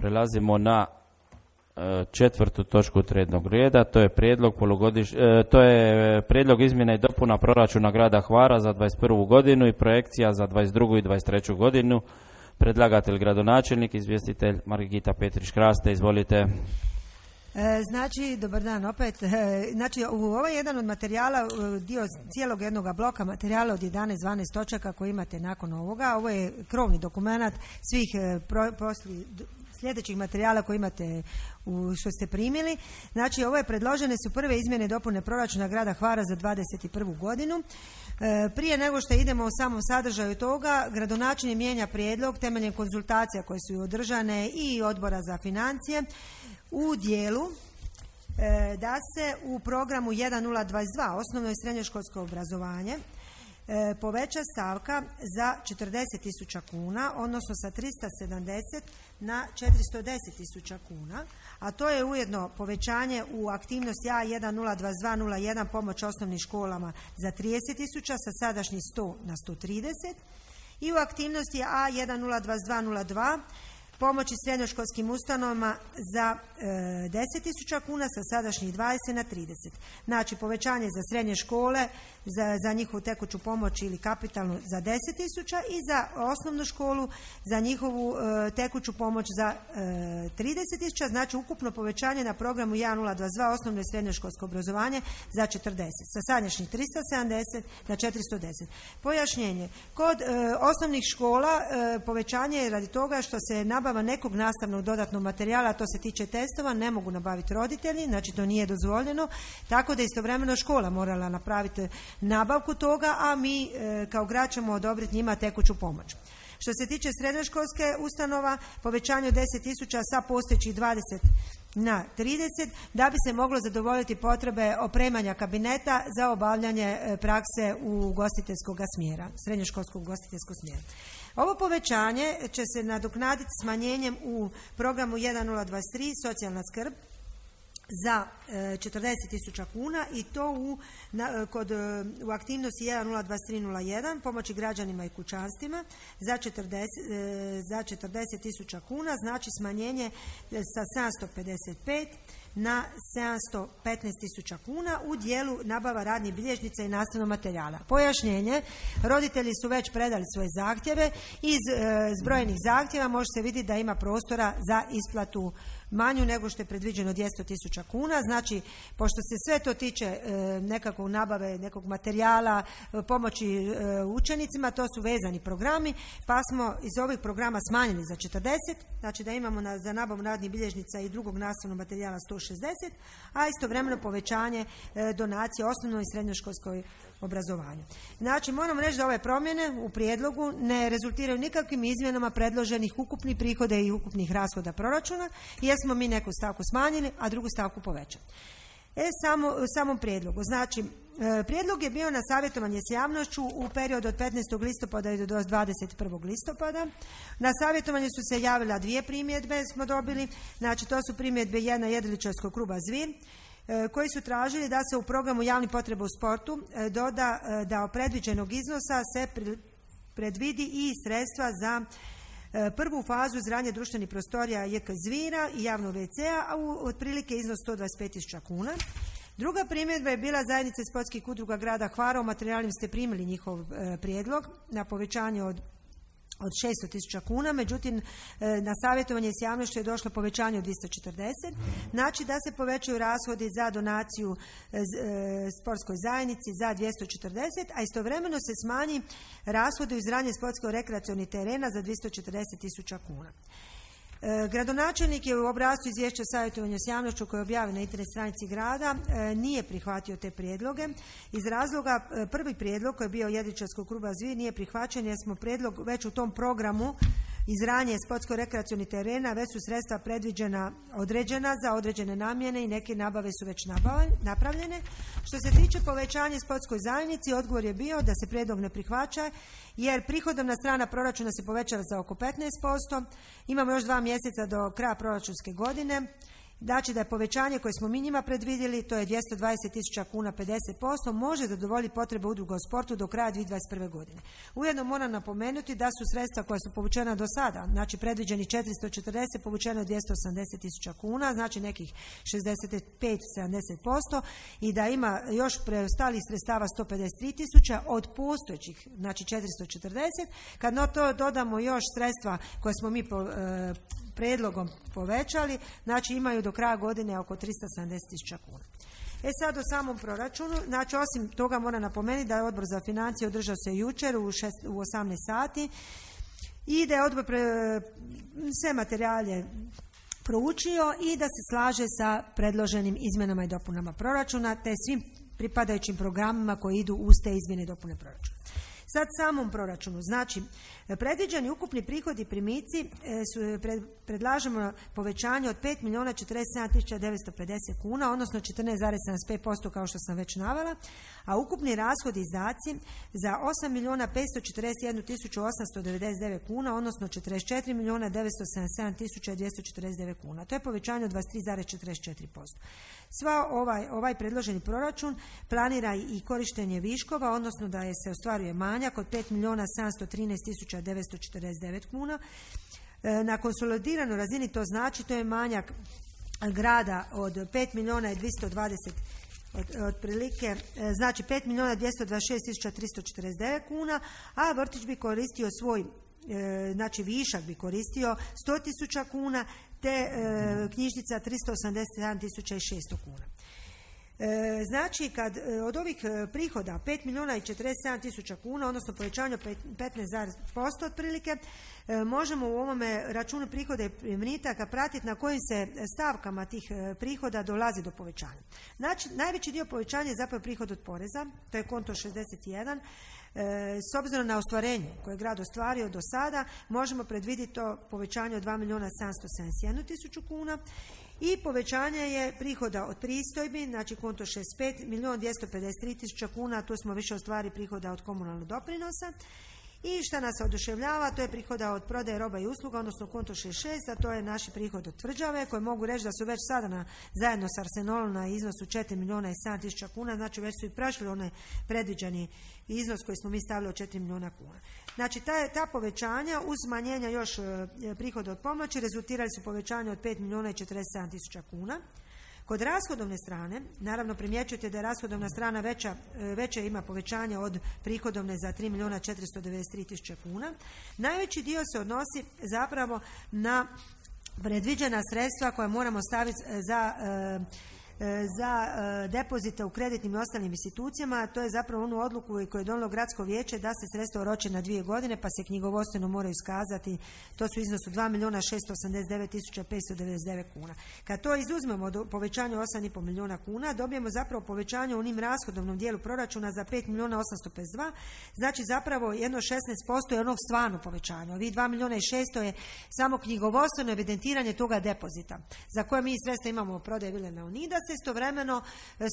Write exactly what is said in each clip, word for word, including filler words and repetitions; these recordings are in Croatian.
Prelazimo na e, četvrtu točku dnevnog reda, to je prijedlog polugodiš, e, to je prijedlog izmjena i dopuna proračuna grada Hvara za dvadeset prvu godinu i projekcija za dvadeset drugu i dvadeset treću godinu. Predlagatelj gradonačelnik, izvjestitelj Margita Petrić-Kraste, izvolite. Znači, dobar dan opet. Znači, ovo je jedan od materijala, dio cijelog jednog bloka materijala od jedanaest dvanaest točaka koji imate nakon ovoga. Ovo je krovni dokumenat svih pro, posli, sljedećih materijala koji imate u, što ste primili. Znači, ovo je predložene su prve izmjene i dopune proračuna grada Hvara za dvadeset prvu godinu. E, prije nego što idemo u samom sadržaju toga, gradonačelnik mijenja prijedlog temeljem konzultacija koje su održane i odbora za financije u dijelu e, da se u programu jedan nula dvadeset dva osnovno i srednjoškolsko obrazovanje e, poveća stavka za četrdeset tisuća kuna, odnosno sa tristo sedamdeset na četiristo deset tisuća kuna, a to je ujedno povećanje u aktivnosti A jedan nula dvadeset dva nula jedan pomoć osnovnim školama za trideset tisuća sa sadašnjih sto na sto trideset i u aktivnosti A jedan nula dvadeset dva nula dva pomoći srednjoškolskim ustanovama za e, deset tisuća kuna sa sadašnjih dvadeset na trideset. Znači povećanje za srednje škole, za, za njihovu tekuću pomoć ili kapitalnu za deset tisuća i za osnovnu školu za njihovu e, tekuću pomoć za e, trideset tisuća. Znači ukupno povećanje na programu jedan nula dvadeset dva osnovno i srednjoškolsko obrazovanje za četrdeset. Sa sadašnjih tristo sedamdeset na četiristo deset. Pojašnjenje. Kod e, osnovnih škola e, povećanje je radi toga što se nabava nekog nastavnog dodatnog materijala, a to se tiče testova, ne mogu nabaviti roditelji, znači to nije dozvoljeno, tako da istovremeno škola morala napraviti nabavku toga, a mi e, kao grad ćemo odobriti njima tekuću pomoć. Što se tiče srednjoškolske ustanova, povećanje od deset tisuća sa postojećih dvadeset na trideset, da bi se moglo zadovoljiti potrebe opremanja kabineta za obavljanje prakse u ugostiteljskog smjera, srednjoškolskog ugostiteljskog smjera. Ovo povećanje će se nadoknaditi smanjenjem u programu jedan nula dvadeset tri socijalna skrb za e, četrdeset tisuća kuna i to u, na, kod, u aktivnosti jedan nula dvadeset tri nula jedan pomoći građanima i kućanstvima za četrdeset, e, za četrdeset tisuća kuna, znači smanjenje sa sedamsto pedeset pet na sedamsto petnaest tisuća kuna u dijelu nabava radnih bilježnica i nastavnog materijala. Pojašnjenje, roditelji su već predali svoje zahtjeve, iz e, zbrojenih zahtjeva može se vidjeti da ima prostora za isplatu manju nego što je predviđeno dvjesto tisuća kuna, znači pošto se sve to tiče e, nekakvog nabave, nekog materijala, e, pomoći e, učenicima, to su vezani programi, pa smo iz ovih programa smanjili za četrdeset, znači da imamo na, za nabavu radnih bilježnica i drugog nastavnog materijala sto šezdeset, a istovremeno povećanje e, donacije osnovnoj i srednjoškolskoj obrazovanju. Znači moramo reći da ove promjene u prijedlogu ne rezultiraju nikakvim izmjenama predloženih ukupnih prihoda i ukupnih rashoda proračuna, jer smo mi neku stavku smanjili, a drugu stavku povećali. E, samo, samom prijedlogu. Znači, e, prijedlog je bio na savjetovanje s javnošću u periodu od petnaestog listopada do dvadeset prvog listopada. Na savjetovanje su se javila dvije primjedbe, smo dobili. Znači, to su primjedbe jedna jedriličarskog kluba Zvir, koji su tražili da se u programu javnih potreba u sportu doda da od predviđenog iznosa se predvidi i sredstva za prvu fazu izgradnje društvenih prostorija J K Zvira i javnog ve ce-a, a u otprilike iznos sto dvadeset pet tisuća kuna. Druga primjedba je bila zajednice sportskih udruga grada Hvara, u materijalima ste primili njihov e, prijedlog na povećanje od od šesto tisuća kuna, međutim na savjetovanje s javnošću je došlo povećanje od dvjesto četrdeset, znači da se povećaju rashodi za donaciju sportskoj zajednici za dvjesto četrdeset, a istovremeno se smanji rashodi u izgradnji sportsko-rekreacionih terena za dvjesto četrdeset tisuća kuna. Gradonačelnik je u obrascu izvješća savjetovanja s javnošću koje je objavljeno na internet stranici grada nije prihvatio te prijedloge. Iz razloga prvi prijedlog koji je bio jedriličarskog kluba Zvir nije prihvaćen jer smo prijedlog već u tom programu izgradnje sportsko-rekreacionih terena već su sredstva predviđena određena za određene namjene i neke nabave su već napravljene. Što se tiče povećanja sportskoj zajednici, odgovor je bio da se prijedlog ne prihvaća jer prihodovna strana proračuna se povećala za oko petnaest posto. Imamo još dva mjeseca do kraja proračunske godine. Znači da je povećanje koje smo mi njima predvidjeli, to je dvjesto dvadeset tisuća kuna, pedeset posto, može zadovoljiti potrebe udruga u sportu do kraja dvije tisuće dvadeset prve. godine. Ujedno moram napomenuti da su sredstva koja su povučena do sada, znači predviđeni četiristo četrdeset, povučeno je dvjesto osamdeset tisuća kuna, znači nekih šezdeset pet do sedamdeset posto, i da ima još preostalih sredstava sto pedeset tri tisuća od postojećih, znači četiristo četrdeset. Kad no to dodamo još sredstva koje smo mi po, e, predlogom povećali, znači imaju do kraja godine oko tristo sedamdeset tisuća kuna. E sad o samom proračunu, znači osim toga moram napomenuti da je Odbor za financije održao se jučer u, šest, u osamnaest sati i da je Odbor pre, sve materijale proučio i da se slaže sa predloženim izmjenama i dopunama proračuna te svim pripadajućim programima koji idu uz te izmjene i dopune proračuna. Sad samom proračunu, znači predviđeni ukupni prihodi i primici su, pred, predlažemo povećanje od pet milijuna četrdeset sedam tisuća devetsto pedeset kuna, odnosno četrnaest zarez sedamdeset pet posto kao što sam već navela, a ukupni rashodi i izdaci za osam milijuna petsto četrdeset jednu tisuću osamsto devedeset devet kuna, odnosno četrdeset četiri milijuna devetsto sedamdeset sedam tisuća dvjesto četrdeset devet kuna. To je povećanje od dvadeset tri zarez četrdeset četiri posto. Sva ovaj, ovaj predloženi proračun planira i korištenje viškova, odnosno da je se ostvaruje manjak od pet milijuna sedamsto trinaest tisuća devetsto četrdeset devet kuna. Na konsolidiranoj razini to znači to je manjak grada od pet milijuna dvjesto dvadeset Od, otprilike, znači pet milijuna dvjesto dvadeset šest tisuća tristo četrdeset devet kuna, a vrtić bi koristio svoj, znači višak bi koristio sto tisuća kuna, te knjižnica tristo osamdeset sedam tisuća šesto kuna. Znači, kad od ovih prihoda pet milijuna četrdeset sedam tisuća kuna, odnosno povećanje petnaest posto otprilike, možemo u ovome računu prihoda i primitaka pratiti na kojim se stavkama tih prihoda dolazi do povećanja. Znači, najveći dio povećanja je zapravo prihod od poreza, to je konto šezdeset jedan. S obzirom na ostvarenje koje je grad ostvario do sada, možemo predvidjeti to povećanje od dva milijuna sedamsto sedamdeset jednu tisuću kuna. I povećanje je prihoda od pristojbi, znači konto šezdeset pet, milijun dvjesto pedeset tri tisuća kuna, tu smo više ostvari prihoda od komunalnog doprinosa. I što nas oduševljava, to je prihoda od prodaje roba i usluga, odnosno konto šezdeset šest, a to je naši prihod od tvrđave, koji mogu reći da su već sada na, zajedno s Arsenolom na iznosu četiri milijuna i sedam tisuća kuna, znači već su i prešli onaj predviđeni iznos koji smo mi stavili od četiri milijuna kuna. Znači ta, ta povećanja uz smanjenja još e, prihoda od pomoći rezultirali su povećanje od pet milijuna i četrdeset sedam tisuća kuna. Kod rashodovne strane, naravno primjećujete da je rashodovna strana veća, veće ima povećanje od prihodovne za tri milijuna četiristo devedeset tri tisuće kuna. Najveći dio se odnosi zapravo na predviđena sredstva koja moramo staviti za za depozite u kreditnim i ostalim institucijama. To je zapravo onu odluku koju je donijelo gradsko vijeće da se sredstva oroče na dvije godine pa se knjigovodstveno moraju iskazati. To su iznosu dva milijuna šesto osamdeset devet tisuća petsto devedeset devet kuna. Kad to izuzmemo do povećanja osam i pol milijuna kuna, dobijemo zapravo povećanje u onim rashodovnom dijelu proračuna za pet milijuna osamsto pedeset dva. Znači zapravo jedno šesnaest posto je onog stvarno povećanja. Ovih dva milijuna i šesto je samo knjigovodstveno evidentiranje toga depozita za koje mi sredstva imamo prodaje vile Leonidas. Istovremeno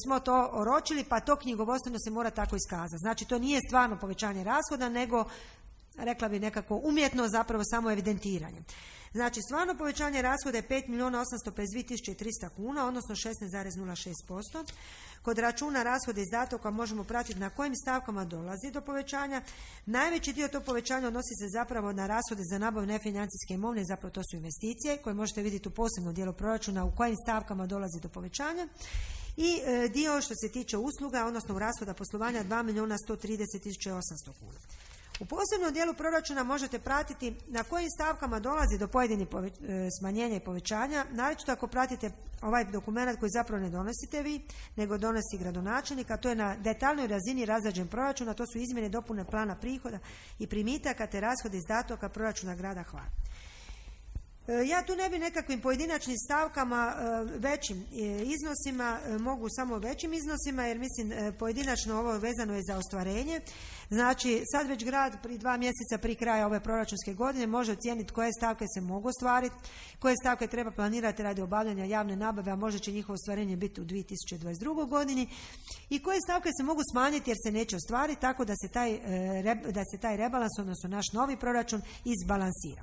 smo to oročili, pa to knjigovodstveno se mora tako iskazati. Znači to nije stvarno povećanje rashoda, nego rekla bi nekako umjetno zapravo samo evidentiranje. Znači stvarno povećanje rashoda je pet milijuna osamsto pedeset dvije tisuće tristo kuna, odnosno šesnaest zarez nula šest posto. Kod računa rashoda izdataka možemo pratiti na kojim stavkama dolazi do povećanja. Najveći dio tog povećanja odnosi se zapravo na rashode za nabavu nefinancijske imovine, zapravo to su investicije koje možete vidjeti u posebnom dijelu proračuna u kojim stavkama dolazi do povećanja. I e, dio što se tiče usluga, odnosno rashoda poslovanja dva milijuna sto trideset tisuća osamsto kuna. U posebnom dijelu proračuna možete pratiti na kojim stavkama dolazi do pojedinih poveć, e, smanjenja i povećanja, naročito ako pratite ovaj dokument koji zapravo ne donosite vi, nego donosi gradonačelnik, a to je na detaljnoj razini razrađen proračun, a to su izmjene i dopune plana prihoda i primitaka te rashode izdataka proračuna grada Hvara. Ja tu ne bi nekakvim pojedinačnim stavkama većim iznosima, mogu samo većim iznosima, jer mislim pojedinačno ovo vezano je za ostvarenje. Znači sad već grad pri dva mjeseca pri kraja ove proračunske godine može ocijeniti koje stavke se mogu ostvariti, koje stavke treba planirati radi obavljanja javne nabave, a možda će njihovo ostvarenje biti u dvije tisuće dvadeset drugoj godini, i koje stavke se mogu smanjiti jer se neće ostvariti, tako da se taj, da se taj rebalans, odnosno naš novi proračun, izbalansira.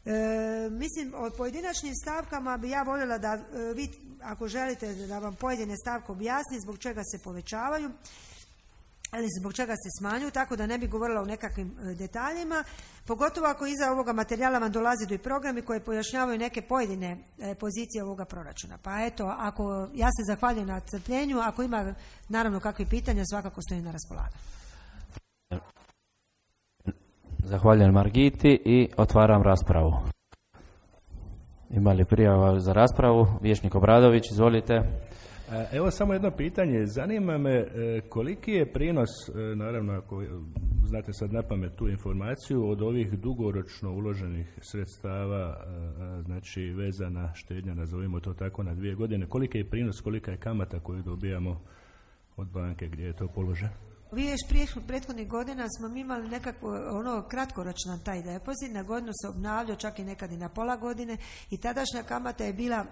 E, mislim, o pojedinačnim stavkama bi ja voljela da e, vi, ako želite da vam pojedine stavke objasni zbog čega se povećavaju ali zbog čega se smanjuju, tako da ne bi govorila o nekakvim e, detaljima, pogotovo ako iza ovoga materijala vam dolazi do i programi koji pojašnjavaju neke pojedine e, pozicije ovoga proračuna. Pa eto, ako ja se zahvaljujem na crpljenju, ako ima naravno kakvih pitanja, svakako stojim na raspolaganju. Zahvaljujem Margiti i otvaram raspravu. Ima li prijava za raspravu? Vijećnik Obradović, izvolite. Evo samo jedno pitanje. Zanima me koliki je prinos, naravno ako znate sad napamet tu informaciju, od ovih dugoročno uloženih sredstava, znači vezana štednja, nazovimo to tako, na dvije godine, koliki je prinos, kolika je kamata koju dobijamo od banke gdje je to položeno? Vi još prije prethodnih godina smo mi imali nekako ono kratkoročan taj depozit, na godinu se obnavljao, čak i nekad i na pola godine i tadašnja kamata je bila, e,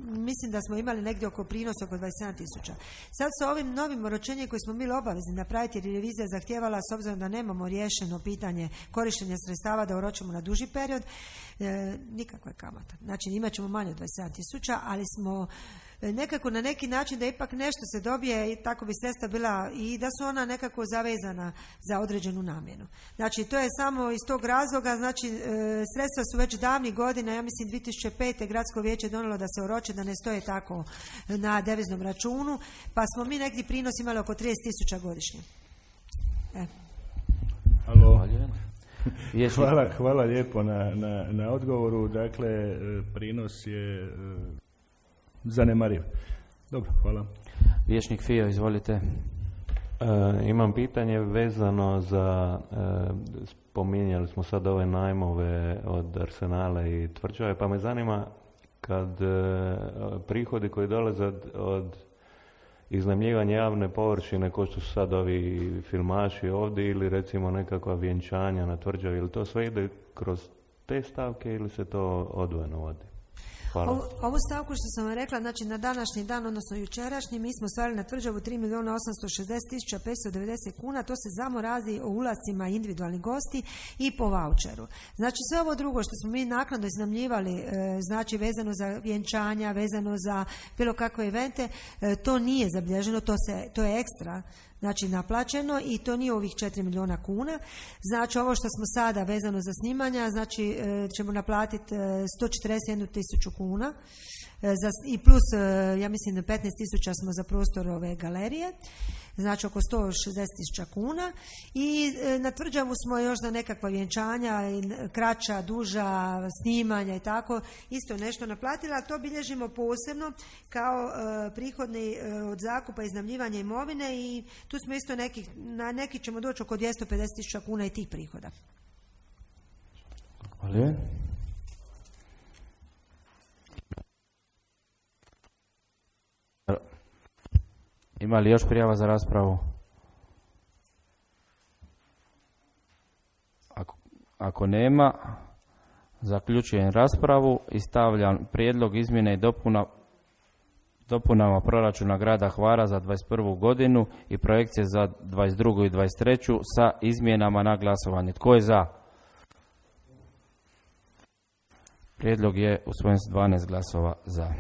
mislim da smo imali negdje oko prinosa oko dvadeset sedam tisuća. Sad sa ovim novim oročenjem koje smo bili obavezni napraviti jer je revizija zahtijevala s obzirom da nemamo riješeno pitanje korištenja sredstava da oročimo na duži period, e, nikakva je kamata. Znači imat ćemo manje od dvadeset sedam tisuća, ali smo nekako na neki način da ipak nešto se dobije i tako bi sredstva bila i da su ona nekako zavezana za određenu namjenu. Znači to je samo iz tog razloga, znači e, sredstva su već davnih godina, ja mislim dvije tisuće pete gradsko vijeće donijelo da se oroče, da ne stoje tako na deviznom računu, pa smo mi neki prinos imali oko trideset tisuća godišnje. E. Halo. Hvala, hvala lijepo na, na, na odgovoru. Dakle, prinos je zanemariv. Dobro, hvala. Vijećnik Fio, izvolite. E, imam pitanje vezano za, e, spominjali smo sad ove najmove od Arsenala i tvrđave, pa me zanima kad e, prihodi koji dolaze od, od iznajmljivanja javne površine, ko što su sad ovi filmaši ovdje ili recimo nekakva vjenčanja na tvrđavi, ili to sve ide kroz te stavke ili se to odvojeno vodi? Hvala. Ovu, ovu stavku što sam vam rekla, znači na današnji dan, odnosno jučerašnji, mi smo stvarili na tvrđavu tri milijuna osamsto šezdeset tisuća petsto devedeset kuna, to se samo radi o ulascima individualnih gosti i po vaučeru. Znači sve ovo drugo što smo mi naknadno iznajmljivali, e, znači vezano za vjenčanja, vezano za bilo kakve evente, e, to nije zabilježeno, to, se, to je ekstra. Znači naplaćeno i to nije ovih četiri milijuna kuna. Znači ovo što smo sada vezano za snimanja, znači e, ćemo naplatiti e, sto četrdeset jednu tisuću kuna e, za, i plus e, ja mislim petnaest tisuća smo za prostor ove galerije, znači oko sto šezdeset tisuća kuna i e, na tvrđavu smo još za nekakva vjenčanja, kraća, duža, snimanja i tako isto nešto naplatili, a to bilježimo posebno kao e, prihodni e, od zakupa i iznajmljivanja imovine i tu smo isto neki, na neki ćemo doći oko dvjesto pedeset tisuća kuna i tih prihoda. Hvala. Ima li još prijava za raspravu? Ako, ako nema, zaključujem raspravu i stavljam prijedlog izmjene i dopuna dopunama proračuna grada Hvara za dvadeset prvu godinu i projekcije za dvadeset drugu i dvadeset treću sa izmjenama na glasovanje. Tko je za? Prijedlog je usvojen s dvanaest glasova za.